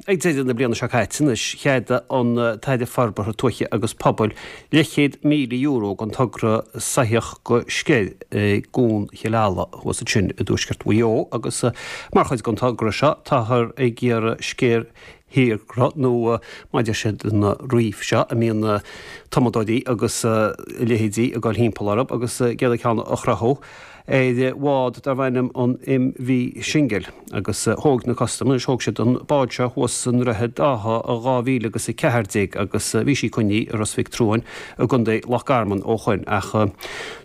Ag deireadh na bliana seo caite anois, cheadaigh an tAire Forbartha Tuaithe agus Pobail leathchéad €1,000 don togra Soitheach go Sceir i gCuan Chill Ala thuas ansin i dtuaisceart Mhaigh Eo agus mar chuid den togra seo táthar ag iarraidh sceir thírchruth nó mar a deir siad na reef seo a mbíonn tumadóirí agus a leithéidí ag dul thimpeall orthu agus ag iarraidh ceann a chruthú ar bhád darb ainm an MV Shingle agus thóg na custaim anois thóg siad an bád seo thuas i nDroichead Átha i 2014 agus bhí sí coinnithe i Ros Mhic Truain i gContae Loch Garman ó shoin ach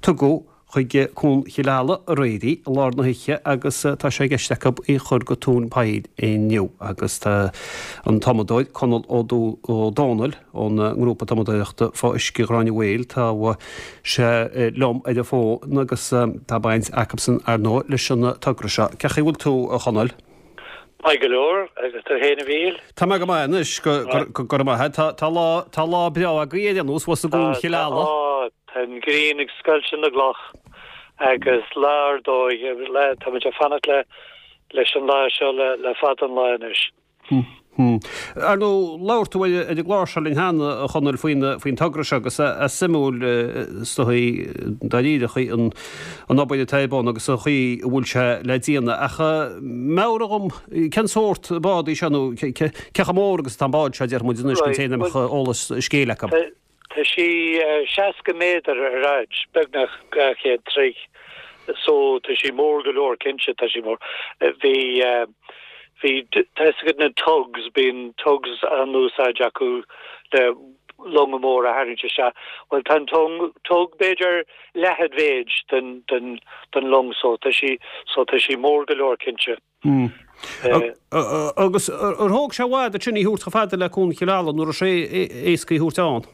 tugadh chuig Cuan Chill Ala aréir í i lár na hoíche agus tá sé i gceist acu í a chur go Tóin Poill inniu agus tá an tumadóir Conall Ó Dónaill ón ngrúpa tumadóireachta fá uisce Ghráinne Mhaol tá sé liom ar an bhfón agus tá baint acusan ar ndóigh leis an togra seo. Cén chaoi a bhfuil tú a Chonaill? Maith go leor, agus tú fhéin a Mhíchíl? Tá mé go maith anois, go raibh maith agat. Tá lá, tá lá breá agaibh ar aon nós thuas i gCuan Chill Ala. Tá, tá an ghrian ag scoilteadh na gcloch agus lá ar dóigh, tá muid ag fanacht le, leis an lá seo le, le fada an lá anois. Ar ndóigh, labhair tú ar an gclár seo linn cheana, a Chonaill, faoin togra seo agus is suimiúil is dóigh dáiríre an an obair atá ar bun agus an chaoi a bhfuil sé le déanamh. Ach meabhraigh dhom, cén sórt bád í seo nó cé chomh mór agus atá an bád seo, déarfaidh muid anois, don té nach mbeadh eolas an scéil acu. Tá sí 60 méadar ar fhaid, beagnach 200 troigh, so tá sí mór go leor, cinnte tá sí mór. Bhí, bhí, tá fhios agat na tugs, bíonn tugs á n-úsáid acu le longa móra a tharraingt isteach. Bhuel tá an tung, tug b'fhéidir leath an mhéid den, den, den long so tá sí, so tá sí mór go leor cinnte. Agus ar thóg sé i bhfad ansin í thabhairt chomh fada le Cuan Chill Ala nó raibh sé éasca í thabhairt ann?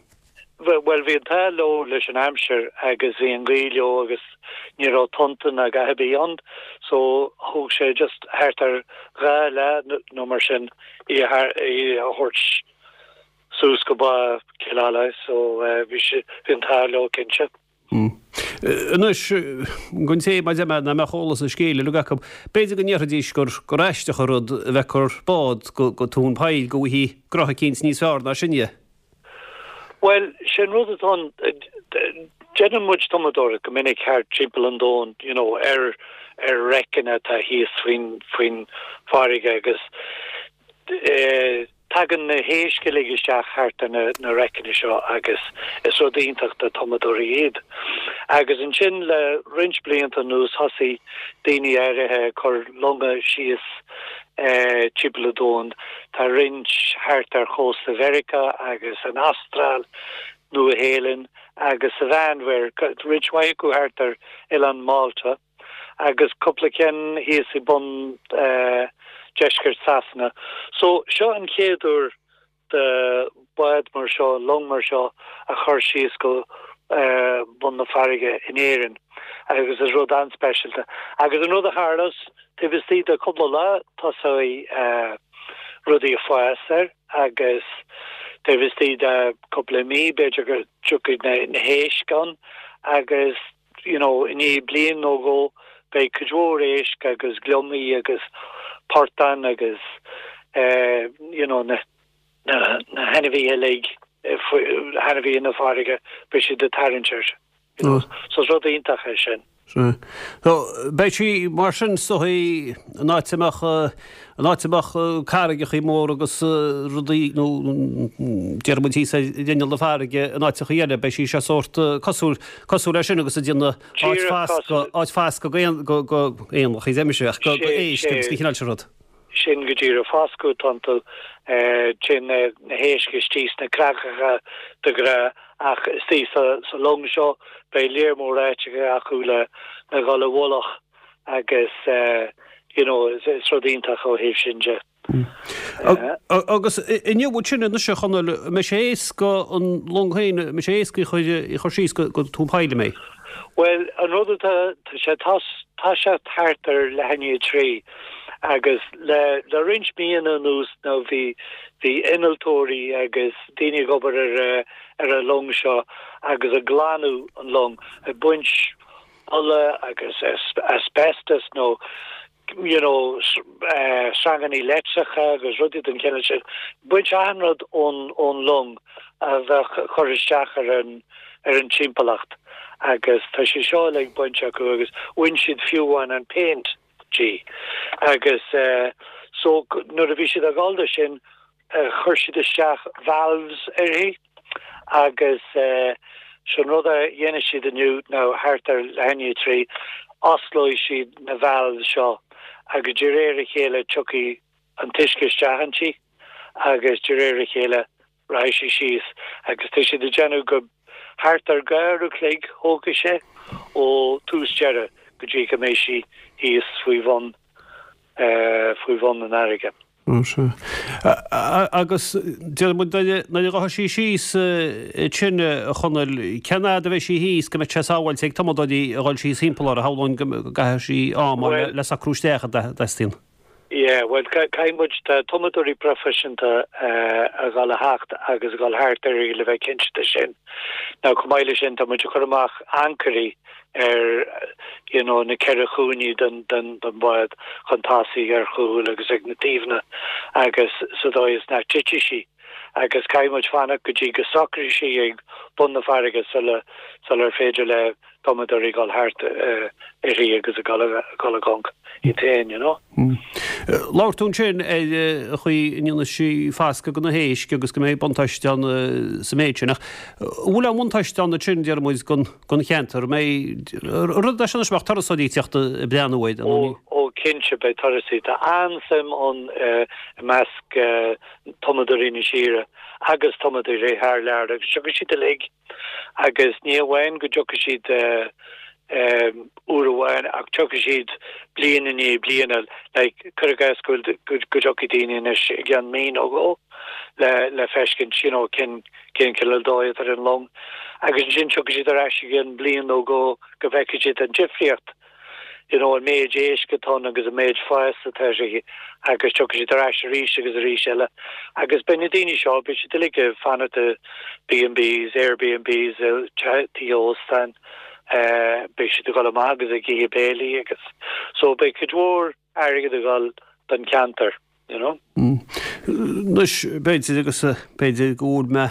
Bhuel bhí an t-ádh leo leis an aimsir agus bhí an ghaoth leo agus ní raibh tonnta ná a dhath ar bith ann so thóg sé just thart ar gha lá nó mar sin í a thabhairt suas go Bá Chill Ala so bhí sé, bhí an t-ádh leo cinnte. Anois, don té, mar a deir mé, nach mbeadh eolas an scéil uilig acu, b'fhéidir go ndéarfaidís gur gur aisteach an rud a bheith ag cur bád go go Tóin Poill go bhfaighfí gcruth eicínt níos fearr ná sin dhe. Bhuel, sé an rud atá ann, déanann muid tumadóireacht go minic thart timpeall an domhain, you know, ar ar wreckanna atá thíos faoin faoin bhfarraige agus eh, Tagann na héisc uilig isteach thart ar na wreckanna seo agus is rud iontach do tumadóirí iad. Agus ansin le roinnt blianta anuas thosaigh daoine áirithe ag cur longa síos timpeall an domhain. Tá roinnt thart ar chósta Mheiriceá agus an Astráil, Nua Shéalainn agus sa Mheánmhuir, roinnt mhaith acu thart ar oileán Málta. agus cúpla ceann thíos i bun deisceart Sasana. So, seo an chéad uair do bád mar seo, long mar seo a chur síos go bun na farraige in Éirinn agus is rud an-speisialta. Agus an rud a tharlós, taobh istigh de cúpla lá tosóidh rudaí ag fás air agus taobh istigh de cúpla mí b'fhéidir go dtiocfaidh na héisc ann agus you know, i ndiaidh bliain nó dhó beidh cuid mhór éisc agus gliomaigh agus portáin agus eh, you know, na, na, na hainmhithe uilig, hainmhithe na farraige, beidh siad ag tarraingt air. You know, so is rud iontach é sin. Sea. So, beidh sí mar sin is dóigh in áit a mbeadh, in áit a mbeadh carraigeachaí móra agus rudaí nó déarfaidh muid thíos ar ghrinneall na farraige in áiteachaí eile, beidh sí seo sórt cosúil, cosúil leis sin agus ag déanamh áit foscadh, áit foscadh go aon, go, go éanlaith, deir mise, ach go, go éisc agus an cineál sin rud. Sin go díreach foscadh atá iontu. Téann na héisc istigh sna creagacha de ghnáth ach istigh sa long seo beidh léar mór áiteacha acu le dhul i bhfolach agus you know is rud iontach ó thaobh sin de. Agus inniu ansin anois a Chonaill, an mbeidh sé éasca an long féin, an mbeidh sé éasca í a chur síos go Tóin Poill, an mbeidh? Bhuel, an rud atá, tá sé toiseacht thart ar leath i ndiaidh 3 agus le le roinnt míonna anuas nó bhí bhí innealtóirí agus daoine ag obair ar ar an long seo agus ag glanadh an long, ag baint ola agus asbestos nó. you know, sreangannaí leictreacha agus rudaí den chineál sin, baint achan rud ón, ón long a bheadh ag cur isteach ar an, ar an timpeallacht agus tá sé seo uilig bainte acu agus bhain siad fiú amháin an péint di agus so nuair a bhí siad ag dul do sin chuir siad isteach valves uirthi agus sin rud a dhéanfaidh siad inniu nó thart ar leath i ndiaidh 3, osclóidh siad na valves seo agus de réir a chéile tiocfaidh an t-uisce isteach inti agus de réir a chéile rachaidh sí síos agus tá siad ag déanamh go thart ar 2 uair a chloig thógfaidh sé ó tús deireadh go dtí go mbeidh sí thíos faoi bhun faoi bhun an fharraige. Sea. Agus deir muid nuair a ghabhfaidh sí síos ansin, a Chonaill, cén fhad a bheidh sí thíos go mbeidh sé sábháilte ag tumadóirí a dhul síos thimpeall uirthi? Shamhlóinn go gcaithfidh sí am le socrú isteach a dteastaíonn. Yeah, bhuel, caithfidh muid, tá tumadóirí proifisiúnta a dhul a theacht agus a dhul thart uirthi le bheith cinnte de sin. Now, chomh maith leis sin, tá muid ag cur amach ancairí ar you know na ceithre chúinní den den den bhád chun tosaigh, ar chúl agus ag na taobhanna agus sa dóigh is nach dtitfidh sí agus caithfidh muid fanacht go dtí go socróidh sí ag bun na farraige sula sular féidir le tumadóirí dul thart uirthi agus a dhul a dhul i gconc iad féin you know. Labhair tú ansin ar an chaoi a ndéanfaidh sí fascadh do na héisc agus go mbeidh buntáiste ann sa méid sin. Ach an bhfuil aon bhuntáiste ann ansin, deir muid, don cheantar? An mbeidh rud é sin anois, mbeadh turasóirí ag teacht ag breathnú air? Ó, ó cinnte beidh turasóirí. Tá an-suim ann i measc tumadóirí na tíre agus tumadóirí thar lear agus tiocfaidh siad uilig. Agus ní amháin go dtiocfaidh siad uair amháin ach tiocfaidh siad bliain i ndiaidh bliana, like cuir i gcás go bhfuil go dtiocfaidh daoine anois i gceann mí nó dhó le le feiscint you know cén cén cineál dóigh atá ar an long agus ansin tiocfaidh siad ar ais i gceann bliain nó dhó go bhfeicfidh siad an difríocht. you know, an méid éisc atá ann agus an méid fás atá uirthi agus tiocfaidh siad ar ais arís agus arís eile. Agus beidh na daoine seo, beidh siad uilig ag fanacht i B&Bs, Airbnbs, tithe óstáin, beidh siad ag dul amach agus ag ithe béilí agus so beidh cuid mhór airgead ag dul don cheantar. you know. Anois, b'fhéidir, agus b'fhéidir go bhfuil mé,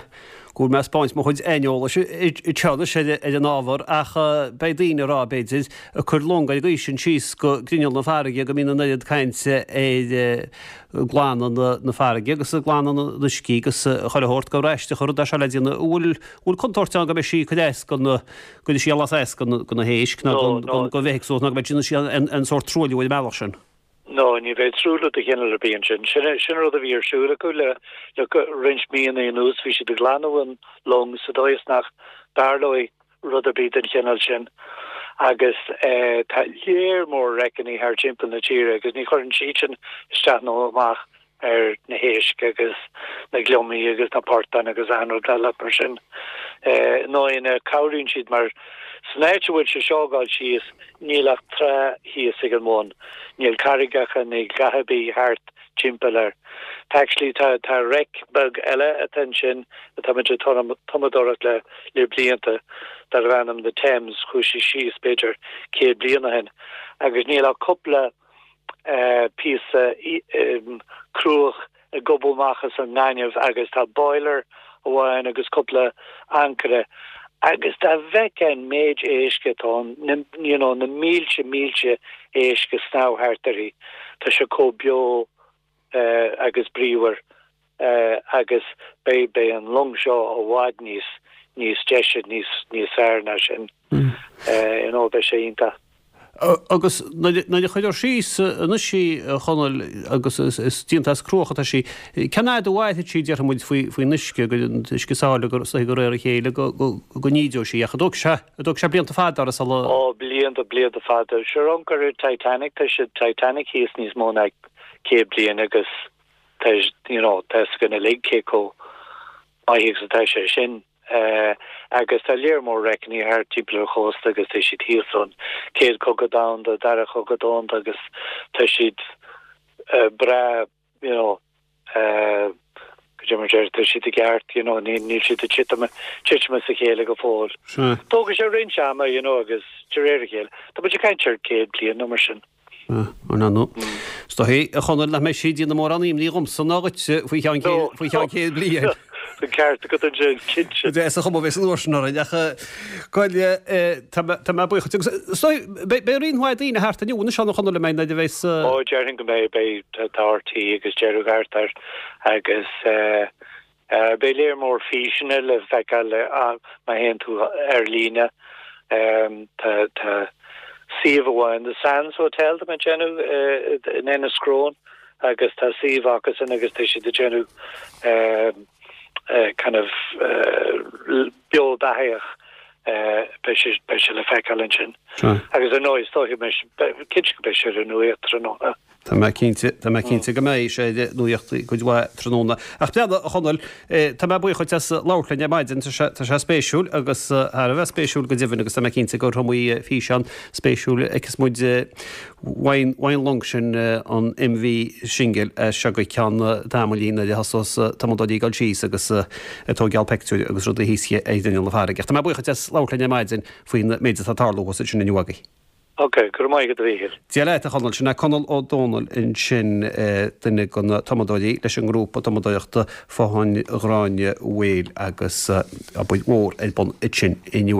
go bhfuil mé ag spáint mo chuid aineolais anseo anois ar an ábhar, ach beidh daoine ag rá, b'fhéidir, ag cur long ar an gcaoi sin síos go grinneall na farraige go mbíonn an oiread cainte ar glanadh na farraige agus glanadh na n-uiscí agus chuile shórt gur aisteach an rud é seo le déanamh. An bhfuil, bhfuil contúirt ann go mbeidh sí ag cur as do na, go gcuirfidh sí allas as do na héisc ná don bhithéagsúlacht ná go mbeidh sí an sórt truailliú ar an mbealach sin? No, ní bheidh truailliú de chineál ar bith ansin. Sin sin an rud a bhí ar siúl acu le le roinnt míonna anuas, bhí siad ag glanadh an long sa dóigh is nach dtarlóidh rud ar bith den chineál sin. Agus tá léar mór wreckannaí thar timpeall na tíre agus ní chuireann siad sin isteach nó amach ar na héisc agus na gliomaigh agus na portáin agus achan rud eile mar sin. I ndóigh, cabhraíonn siad mar san áit a bhfuil sé seo ag dul síos, níl ach trá thíos ag an bhun. Níl carraigeacha níl a dhath ar bith thart timpeall air. Tá actually tá tá wreck beag eile atá ansin atá muid ag tumadóireacht le le blianta darbh ainm The Thames, chuaigh sí síos b'fhéidir 100 bliain ó shin agus níl ach cúpla píosa cruach ag gobadh amach as an ngaineamh agus tá boiler amháin agus cúpla ancaire agus dá bhfeicfeá an méid éisc atá ann, na, you know, na mílte mílte éisc ag snámh thart uirthi, tá sé chomh beo agus bríomhar agus beidh, beidh an long seo i bhfad níos, níos deise, níos, níos fearr ná sin. You know, beidh sé iontach. Agus nuair a chuirfear síos anois í, a Chonaill, agus is déanta as cruach atá sí, cén fhad a mhairfidh sí, déarfaidh muid, faoin uisce, go an t-uisce sáile go de réir a chéile go n-ídeoidh sí, ach an dtógfaidh sé, an dtógfaidh sé blianta fada orthu sula. Ó, blianta, blianta fada. Sure, amharc ar Titanic, tá sé Titanic thíos níos mó ná 100 bliain agus tá, you know, tá fhios againn uilig cé chomh maith agus atá sé sin. Agus tá léar mór wreckannaí thart timpeall ar an chósta agus tá siad thíos ón Chéad Chogadh Domhanda, Dara Cogadh Domhanda agus tá siad breá, you know, cad é mar deir, tá siad i gceart, you know, níl siad ag titim, titim as a chéile go fóill. Tógfaidh sé roinnt ama, you know, agus de réir a chéile, tá muid ag caint ar 100 bliain nó mar sin. Ar ndóigh. Is dóichí, a Chonaill, nach mbeidh sí ag déanamh mórán imní dhomsa ná dhuitse faoi cheann faoi cheann 100 bliain. An ceart agat ansin, cinnte. Is an chuma a bheas an uair sin orainn, ach bhuel, tá mé tá mé buíoch duit. Agus is dóigh, beidh beidh roinnt mhaith daoine thart inniu anois ann, a Chonaill, an mbeidh, nuair a bheas. Ó, déarfainn go mbeidh, beidh, tá RTÉ agus deireadh thart air agus eh, Beidh léar mór físeanna le feiceáil má théann tú ar líne. Tá suíomh amháin, The Sands Hotel, tá mé ag déanamh, in Enniscrone agus tá suíomh acusan agus tá siad ag déanamh kind of beo beathaitheach. Beidh sé le feiceáil ansin. Agus ar ndóigh, is dóiche, cinnte go mbeidh sé ar an nuacht tráthnóna. Tá mé cinnte, tá mé cinnte go mbeidh sé ar an nuacht cuid mhaith tráthnóna. Ach breathnaigh, a Chonaill, tá mé buíoch duit as labhairt linn ar maidin, tá sé, tá sé spéisiúil agus thar a bheith spéisiúil go deimhin agus tá mé cinnte gur iomaí físeán spéisiúil a fheicfeas muid uaidh, uaidh an long sin, an MV Shingle, as seo go ceann tamaillín nuair a thosós tumadóirí ag dul síos agus ag tóigeáil peictiúir agus rudaí thíos ar ghrinneall na farraige. Ach tá mé buíoch duit as labhairt linn ar maidin faoin méid atá ag tarlú thuas ansin inniu agaibh. Ok, go raibh maith agat a Mhíchíl. Dia leat, a Chonaill. Sin é Conall Ó Dónaill ansin, duine de na tumadóirí leis an ngrúpa tumadóireachta Fathain Ghráinne Mhaoil agus obair mhór ar bun ansin inniu.